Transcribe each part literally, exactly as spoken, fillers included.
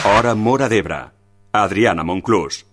Hora Móra d'Ebre. Adriana Monclús.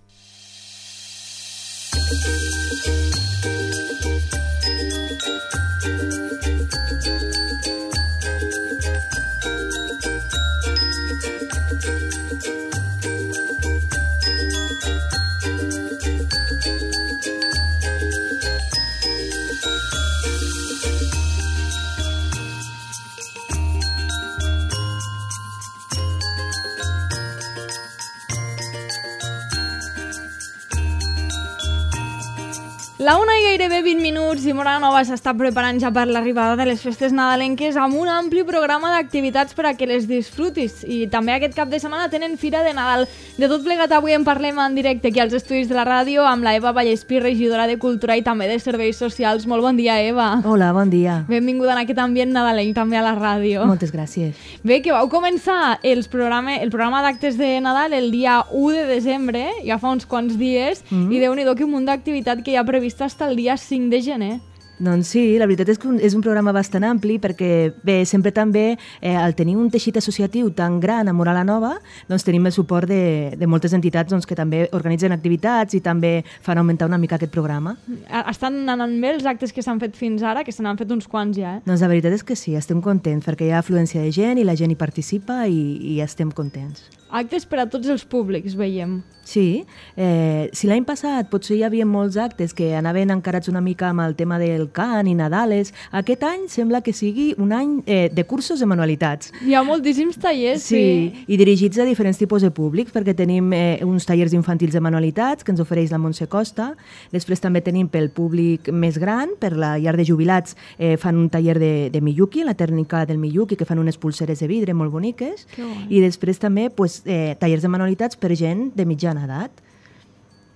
La una i gairebé vint minuts i Móra la Nova s'està preparant ja per l'arribada de les festes nadalenques amb un ampli programa d'activitats per a que les disfrutis. I també aquest cap de setmana tenen Fira de Nadal. De tot plegat avui en parlem en directe aquí als estudis de la ràdio amb la Eva Vallespí, regidora de Cultura i també de Serveis Socials. Molt bon dia, Eva. Hola, bon dia. Benvinguda en aquest ambient nadalenc també a la ràdio. Moltes gràcies. Bé, que vau començar els programa, el programa d'actes de Nadal el dia u de desembre, ja fa uns quants dies, mm-hmm. i Déu-n'hi-do que un munt d'activitat que hi ha previst fins al dia cinc de gener. Doncs sí, la veritat és que és un programa bastant ampli perquè, bé, sempre també eh, al tenir un teixit associatiu tan gran a Móra la Nova, doncs tenim el suport de, de moltes entitats doncs, que també organitzen activitats i també fan augmentar una mica aquest programa. Estan anant bé els actes que s'han fet fins ara, que se n'han fet uns quants ja, eh? Doncs la veritat és que sí, estem contents perquè hi ha afluència de gent i la gent hi participa i, i estem contents. Actes per a tots els públics, veiem. Sí, eh, si l'any passat potser hi havia molts actes que anaven encarats una mica amb el tema del cant i Nadales, aquest any sembla que sigui un any eh, de cursos de manualitats. Hi ha moltíssims tallers, sí. Sí, i dirigits a diferents tipus de públics, perquè tenim eh, uns tallers infantils de manualitats que ens ofereix la Montse Costa, després també tenim pel públic més gran, per la llar de jubilats, eh, fan un taller de, de Miyuki, la tècnica del Miyuki, que fan unes pulseres de vidre molt boniques, i després també pues, eh, tallers de manualitats per gent de mitjana edat.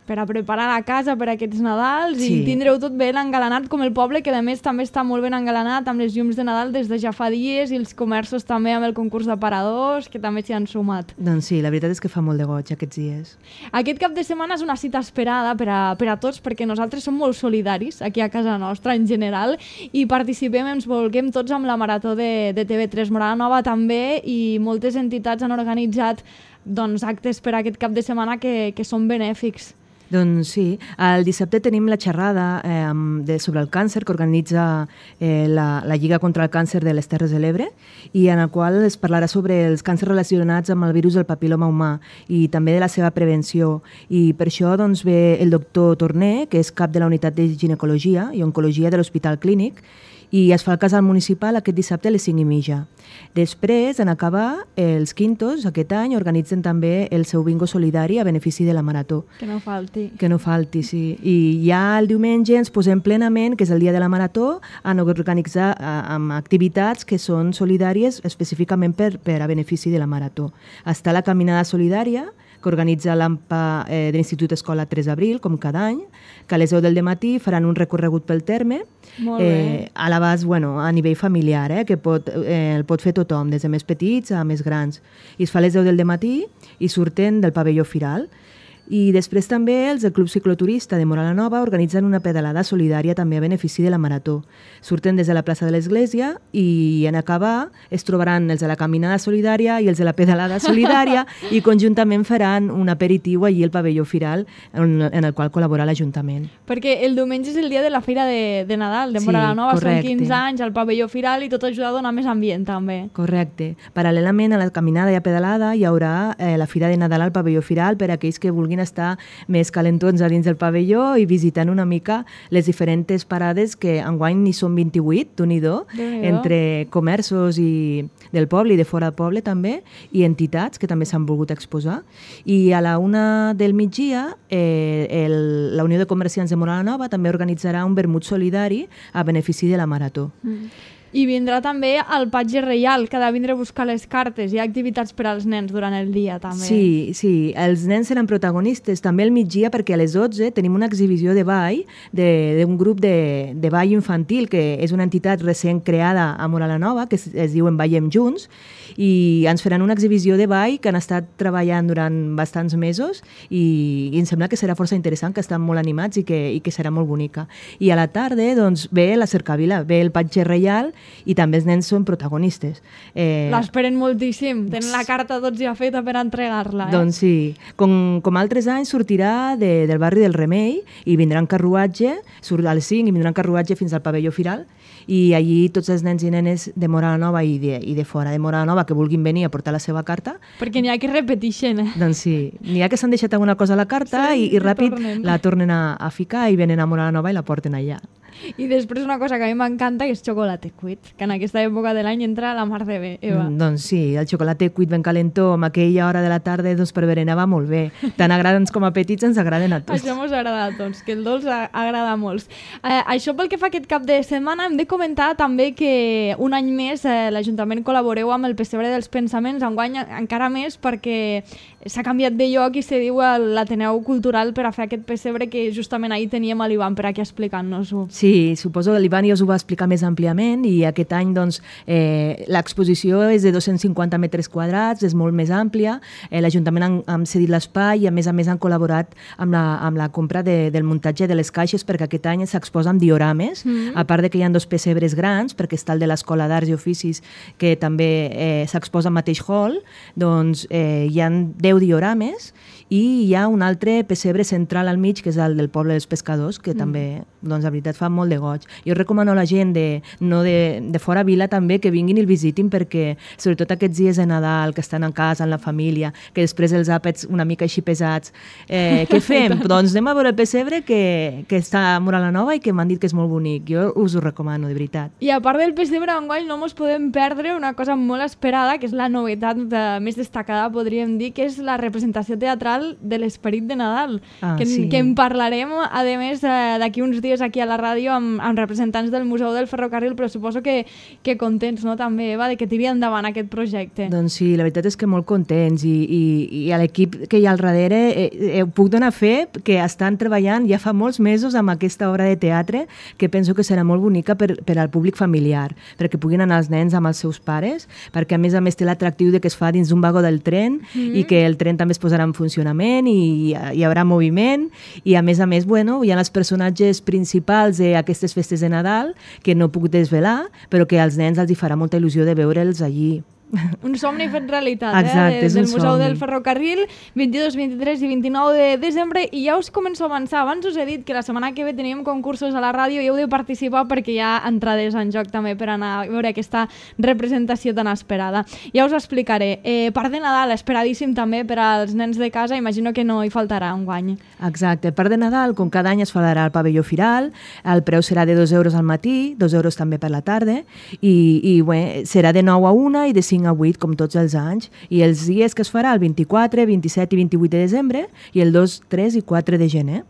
Per a preparar la casa per a aquests Nadals sí. i tindreu tot ben engalanat com el poble, que a més també està molt ben engalanat amb les llums de Nadal des de ja fa dies i els comerços també amb el concurs d'aparadors que també s'hi han sumat. Doncs sí, la veritat és que fa molt de goig aquests dies. Aquest cap de setmana és una cita esperada per a, per a tots perquè nosaltres som molt solidaris aquí a casa nostra en general i participem, ens volguem tots amb la Marató de, de T V tres. Móra la Nova també i moltes entitats han organitzat doncs, actes per a aquest cap de setmana que, que són benèfics. Doncs sí, el dissabte tenim la xerrada eh, de, sobre el càncer que organitza eh, la, la Lliga contra el Càncer de les Terres de l'Ebre i en el qual es parlarà sobre els càncers relacionats amb el virus del papil·loma humà i també de la seva prevenció. I per això doncs, ve el doctor Torné, que és cap de la unitat de ginecologia i oncologia de l'Hospital Clínic, i es fa el casal municipal aquest dissabte a les cinc i mitja. Després, en acabar, els Quintos, aquest any, organitzen també el seu bingo solidari a benefici de la Marató. Que no falti. Que no falti, sí. I ja el diumenge ens posem plenament, que és el dia de la Marató, a organitzar amb activitats que són solidàries específicament per, per a benefici de la Marató. Està la caminada solidària, que organitza l'A M P A eh, de l'Institut Escola tres d'abril, com cada any, que a les deu del matí faran un recorregut pel terme, eh, a l'abast, bueno, a nivell familiar, eh, que pot, eh, el pot fer tothom, des de més petits a més grans. I es fa a les deu del matí i surten del pavelló Firal. I després també els del Club Cicloturista de Móra la Nova organitzen una pedalada solidària també a benefici de la Marató. Surten des de la plaça de l'Església i en acabar es trobaran els de la caminada solidària i els de la pedalada solidària i conjuntament faran un aperitiu allí al pavelló Firal en, en el qual col·labora l'Ajuntament. Perquè el diumenge és el dia de la Fira de, de Nadal de Móra la Nova, sí, són quinze anys al pavelló Firal i tot ajuda a donar més ambient també. Correcte. Paral·lelament a la caminada i a pedalada hi haurà eh, la Fira de Nadal al pavelló Firal per a aquells que vulguin estar més calentons a dins del pavelló i visitant una mica les diferents parades que enguany n'hi són vint-i-vuit, d'un-i-do, entre comerços i del poble i de fora del poble també, i entitats que també s'han volgut exposar. I a la una del migdia eh, el, la Unió de Comerciants de Móra la Nova també organitzarà un vermut solidari a benefici de la Marató. Mm. I vindrà també el patge reial, que ha de vindre a buscar les cartes. Hi ha activitats per als nens durant el dia, també. Sí, sí, els nens seran protagonistes també al migdia perquè a les dotze tenim una exhibició de ball d'un grup de, de ball infantil, que és una entitat recent creada a Móra la Nova, que es, es diuen Ballem Junts, i ens faran una exhibició de ball que han estat treballant durant bastants mesos i, i em sembla que serà força interessant, que estan molt animats i que, i que serà molt bonica. I a la tarda doncs, ve la cercavila, ve el patge reial i també els nens són protagonistes. Eh... L'esperen moltíssim, tenen la carta tots ja feta per entregar-la. Eh? Doncs sí, com, com altres anys sortirà de, del barri del Remei i vindrà en carruatge, surt a les cinc i vindrà en carruatge fins al pavelló Firal, i allí tots els nens i nenes de Móra la Nova i de, i de fora de Móra la Nova que vulguin venir a portar la seva carta. Perquè n'hi ha que repeteixen. Eh? Doncs sí, n'hi ha que s'han deixat alguna cosa a la carta sí, i, i ràpid tornen. la tornen a, a ficar i venen a Móra la Nova i la porten allà. I després una cosa que a mi m'encanta que és xocolate cuit, que en aquesta època de l'any entra la mar de bé, Eva. Mm, doncs sí, el xocolate cuit ben calentó amb aquella hora de la tarda doncs per berenar va molt bé. Tant agrada com a petits ens agraden a tots. Això ens agrada a tots, que el dolç agrada a molts. Eh, això pel que fa aquest cap de setmana hem de comentar també que un any més eh, l'Ajuntament col·laboreu amb el Pessebre dels Pensaments, enguany encara més perquè s'ha canviat de lloc i se diu l'Ateneu Cultural per a fer aquest pessebre que justament ahir teníem a l'Ivan per aquí explicant-nos-ho. Sí, suposo que l'Ivan ja us ho va explicar més àmpliament i aquest any doncs, eh, l'exposició és de dos-cents cinquanta metres quadrats, és molt més àmplia, eh, l'Ajuntament han, han cedit l'espai i a més a més han col·laborat amb la, amb la compra de, del muntatge de les caixes perquè aquest any s'exposa amb diorames, mm-hmm. a part de que hi ha dos pessebres grans, perquè està el de l'Escola d'Arts i Oficis que també eh, s'exposa al mateix hall, doncs eh, hi ha deu diorames i hi ha un altre pessebre central al mig, que és el del poble dels pescadors, que mm. també, doncs, la veritat, fa molt de goig. Jo recomano a la gent de, no de, de fora vila també que vinguin i el visitin perquè, sobretot aquests dies de Nadal, que estan a casa, amb la família, que després els àpats una mica així pesats, eh, què fem? Doncs anem a veure el pessebre que, que està a Móra la Nova i que m'han dit que és molt bonic. Jo us ho recomano, de veritat. I a part del pessebre enguany no ens podem perdre una cosa molt esperada, que és la novetat de, més destacada, podríem dir, que és la representació teatral de l'Esperit de Nadal, ah, que, sí. que en parlarem, a més, d'aquí uns dies aquí a la ràdio amb, amb representants del Museu del Ferrocarril, però suposo que, que contents, no?, també, Eva, de que tiri endavant aquest projecte. Doncs sí, la veritat és que molt contents i, i, i a l'equip que hi ha al darrere eh, eh, puc donar fe que estan treballant ja fa molts mesos amb aquesta obra de teatre que penso que serà molt bonica per, per al públic familiar, perquè puguin anar els nens amb els seus pares, perquè a més a més té l'atractiu de que es fa dins d'un vagó del tren mm-hmm. i que el tren també es posarà en funcionament i hi haurà moviment i a més a més, bueno, hi ha els personatges principals d'aquestes festes de Nadal que no puc desvelar, però que als nens els hi farà molta il·lusió de veure'ls allí. Un somni fet realitat, exacte, eh? És del un Museu somni. del Ferrocarril, vint-i-dos, vint-i-tres i vint-i-nou de desembre, i ja us començo a avançar. Abans us he dit que la setmana que ve teníem concursos a la ràdio i heu de participar perquè hi ha entrades en joc també per anar a veure aquesta representació tan esperada. Ja us ho explicaré. Eh, part de Nadal, esperadíssim també per als nens de casa, imagino que no hi faltarà enguany. Exacte, part de Nadal, com cada any es farà al pavelló Firal, el preu serà de dos euros al matí, dos euros també per la tarda, i, i bé, serà de nou a una i de cinc a vuit, com tots els anys, i els dies que es farà el vint-i-quatre, vint-i-set i vint-i-vuit de desembre i el dos, tres i quatre de gener.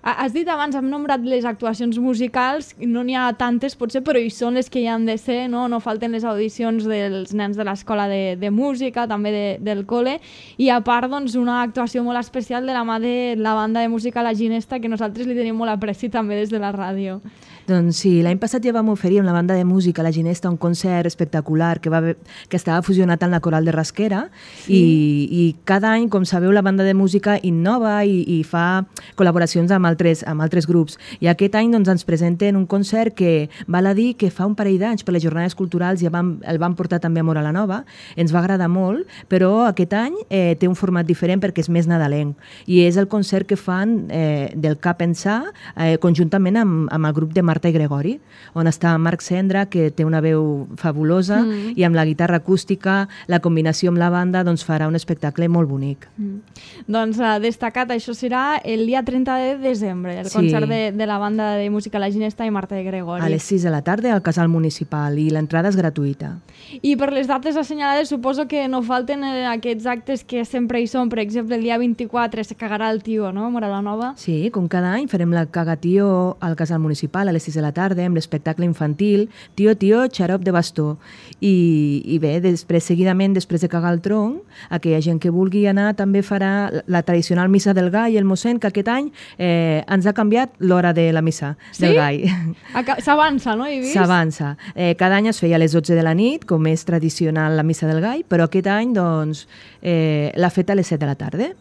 Has dit abans, hem nombrat les actuacions musicals, no n'hi ha tantes potser, però hi són les que hi han de ser, no, no falten les audicions dels nens de l'escola de, de música, també de, del col·le, i a part doncs, una actuació molt especial de la mà de la banda de música La Ginesta, que nosaltres li tenim molt apreci també des de la ràdio. Doncs sí, l'any passat ja vam oferir amb la banda de música La Ginesta un concert espectacular que, va, que estava fusionat amb la coral de Rasquera sí. i, i cada any, com sabeu, la banda de música innova i, i fa col·laboracions amb altres, amb altres grups. I aquest any doncs, ens presenten un concert que val a dir que fa un parell d'anys per les jornades culturals ja vam, el vam portar també a Móra la Nova, ens va agradar molt, però aquest any eh, té un format diferent perquè és més nadalenc i és el concert que fan eh, del Cap Ençà eh, conjuntament amb, amb el grup de Marta i Gregori, on està Marc Cendra, que té una veu fabulosa, mm. i amb la guitarra acústica, la combinació amb la banda, doncs farà un espectacle molt bonic. Mm. Doncs uh, destacat, això serà el dia trenta de desembre, el sí. concert de, de la banda de música La Ginesta i Marta i Gregori. A les sis de la tarda al Casal Municipal i l'entrada és gratuïta. I per les dates assenyalades suposo que no falten eh, aquests actes que sempre hi són, per exemple, el dia vint-i-quatre se cagarà el tio, no?, Móra la Nova. Sí, com cada any farem la cagatio al Casal Municipal a les sis de la tarda amb l'espectacle infantil Tio, tio, xarop de bastó. I, i bé, després, seguidament, després de cagar el tronc, aquella gent que vulgui anar també farà la, la tradicional missa del gall, el mossèn, que aquest any eh, ens ha canviat l'hora de la missa sí? del gall. S'avança, no? S'avança. Eh, cada any es feia a les dotze de la nit, com és tradicional la missa del gall, però aquest any doncs, eh, l'ha fet a les set de la tarda.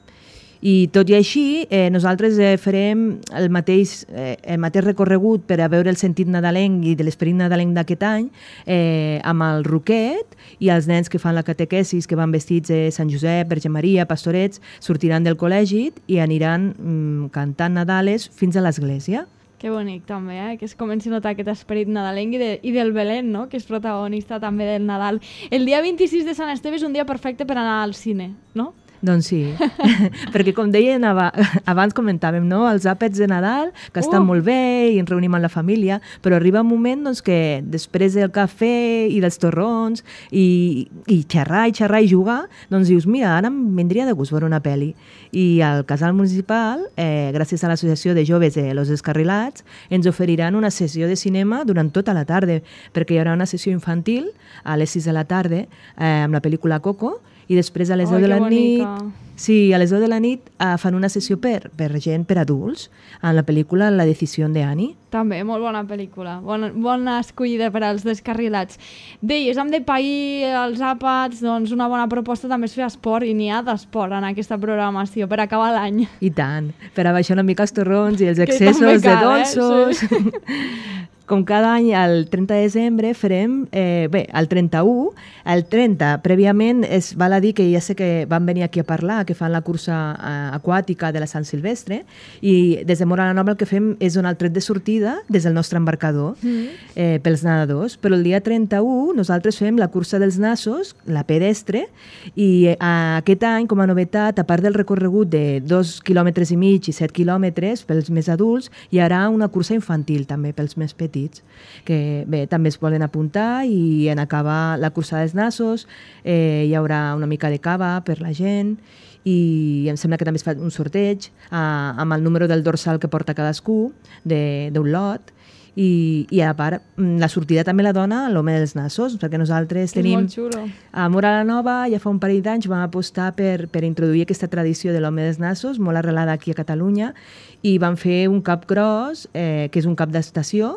I tot i així, eh, nosaltres eh, farem el mateix, eh, el mateix recorregut per a veure el sentit nadalenc i de l'esperit nadalenc d'aquest any eh, amb el Roquet, i els nens que fan la catequesis, que van vestits de Sant Josep, Verge Maria, pastorets, sortiran del col·legi i aniran mm, cantant Nadales fins a l'església. Que bonic també, eh? Que es comenci a notar aquest esperit nadalenc i, de, i del Belén, no? Que és protagonista també del Nadal. El dia vint-i-sis de Sant Esteve és un dia perfecte per anar al cine, no? Doncs sí, perquè com deien abans comentàvem, no? Els àpats de Nadal, que estan uh. molt bé i ens reunim amb la família, però arriba un moment doncs, que després del cafè i dels torrons i, i xerrar i xerrar i jugar, doncs dius, mira, ara em vindria de gust veure una pel·li. I al Casal Municipal, eh, gràcies a l'Associació de Joves de Los Descarrilats, ens oferiran una sessió de cinema durant tota la tarda, perquè hi haurà una sessió infantil a les sis de la tarda eh, amb la pel·lícula Coco, i després a les deu de la nit, sí, a les deu de la nit eh, fan una sessió per, per gent, per adults, en la pel·lícula La decisió de Annie. També, molt bona pel·lícula, bona, bona escollida per als descarrilats. Deies, hem de pair els àpats, doncs una bona proposta també és fer esport, i n'hi ha d'esport en aquesta programació per acabar l'any. I tant, per a baixar una mica els torrons i els excessos de dolços. Eh? Sí. Com cada any, el trenta de desembre farem, eh, bé, el trenta-u, el trenta, prèviament, es val a dir que ja sé que van venir aquí a parlar, que fan la cursa eh, aquàtica de la Sant Silvestre, i des de Móra la Nova el que fem és donar el tret de sortida des del nostre embarcador mm. eh, pels nedadors, però el dia trenta-u nosaltres fem la cursa dels nassos, la pedestre, i eh, aquest any, com a novetat, a part del recorregut de dos quilòmetres i mig i set quilòmetres pels més adults, hi haurà una cursa infantil també pels més petits, que bé, també es volen apuntar, i en acabar la cursa dels nassos eh, hi haurà una mica de cava per la gent, i em sembla que també es fa un sorteig eh, amb el número del dorsal que porta cadascú d'un lot, i, i a part la sortida també la dona l'home dels nassos, perquè nosaltres tenim a Móra la Nova, ja fa un parell d'anys vam apostar per, per introduir aquesta tradició de l'home dels nassos, molt arrelada aquí a Catalunya, i vam fer un cap gros eh, que és un cap d'estació,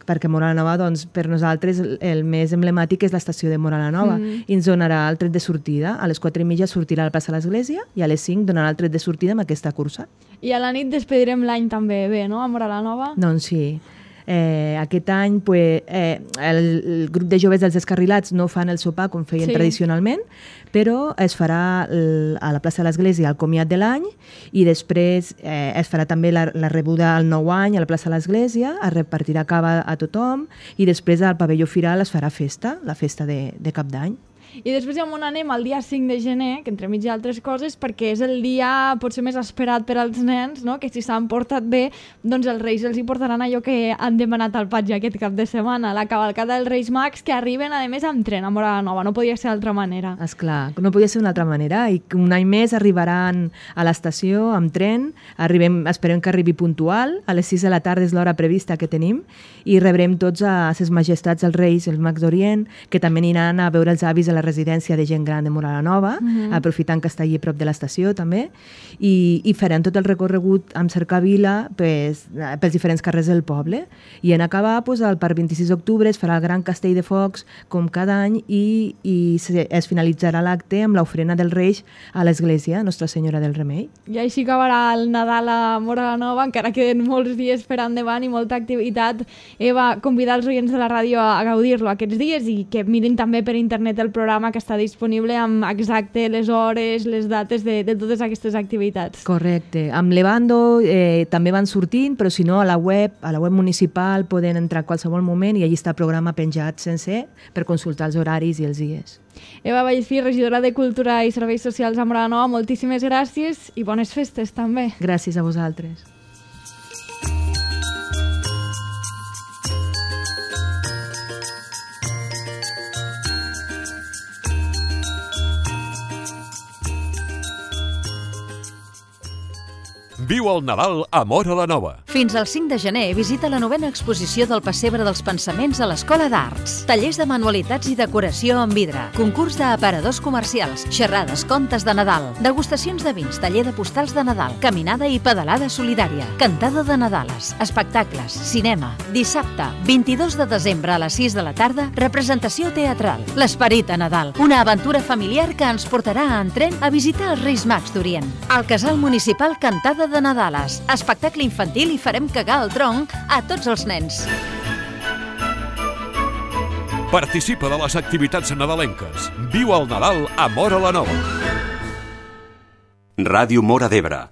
perquè Móra la Nova, doncs, per nosaltres el més emblemàtic és l'estació de Móra la Nova, mm. i ens donarà el tret de sortida. A les quatre i mitja sortirà al plaça de l'Església i a les cinc donarà el tret de sortida amb aquesta cursa. I a la nit despedirem l'any també bé, no?, a Móra la Nova? Doncs sí. Eh, aquest any pues, eh, el, el grup de joves dels descarrilats no fan el sopar com feien sí. tradicionalment, però es farà el, a la plaça de l'Església el comiat de l'any, i després eh, es farà també la, la rebuda al nou any a la plaça de l'Església, es repartirà cava a tothom, i després al pavelló Firal es farà festa, la festa de, de cap d'any. I després ja on anem el dia cinc de gener, que entremig hi ha altres coses, perquè és el dia potser més esperat per als nens, no? Que si s'han portat bé, doncs els Reis els hi portaran allò que han demanat al patge aquest cap de setmana, la cavalcada dels Reis Mags, que arriben a més amb tren a Móra la Nova, no podia ser d'altra manera. Esclar, no podia ser d'una altra manera, i un any més arribaran a l'estació amb tren, arribem, esperem que arribi puntual, a les sis de la tarda és l'hora prevista que tenim, i rebrem tots a ses majestats els Reis, els Mags d'Orient, que també aniran a veure els avis a la residència de gent gran de Móra la Nova, uh-huh. aprofitant que està allí a prop de l'estació també, i, i farem tot el recorregut amb cercavila pues, pels diferents carrers del poble, i en acabar pues, el parc vint-i-sis d'octubre es farà el gran castell de focs com cada any, i, i es finalitzarà l'acte amb l'ofrena dels Reis a l'església Nostra Senyora del Remei. I així acabarà el Nadal a Móra la Nova, encara queden molts dies per endavant i molta activitat. Eva, convidar els oients de la ràdio a gaudir-lo aquests dies, i que mirin també per internet el programa que està disponible amb exacte les hores, les dates de, de totes aquestes activitats. Correcte. Amb Levando eh, també van sortint, però si no a la web, a la web municipal poden entrar a qualsevol moment i allí està el programa penjat sencer per consultar els horaris i els dies. Eva Vallespí, regidora de Cultura i Serveis Socials a Móra la Nova, moltíssimes gràcies i bones festes també. Gràcies a vosaltres. Viu el Nadal a Móra la Nova. Fins al cinc de gener visita la novena exposició del Pessebre dels Pensaments a l'Escola d'Arts. Tallers de manualitats i decoració en vidre, concurs d'aparadors comercials, xerrades, contes de Nadal, degustacions de vins, taller de postals de Nadal, caminada i pedalada solidària, cantada de Nadales, espectacles, cinema. Dissabte, vint-i-dos de desembre a les sis de la tarda, representació teatral. L'esperit a Nadal, una aventura familiar que ens portarà en tren a visitar els Reis Mags d'Orient. Al Casal Municipal Cantada de Nadales, espectacle infantil i farem cagar el tronc a tots els nens. Participa de les activitats nadalenques. Viu el Nadal a Móra la Nova. Ràdio Móra d'Ebre,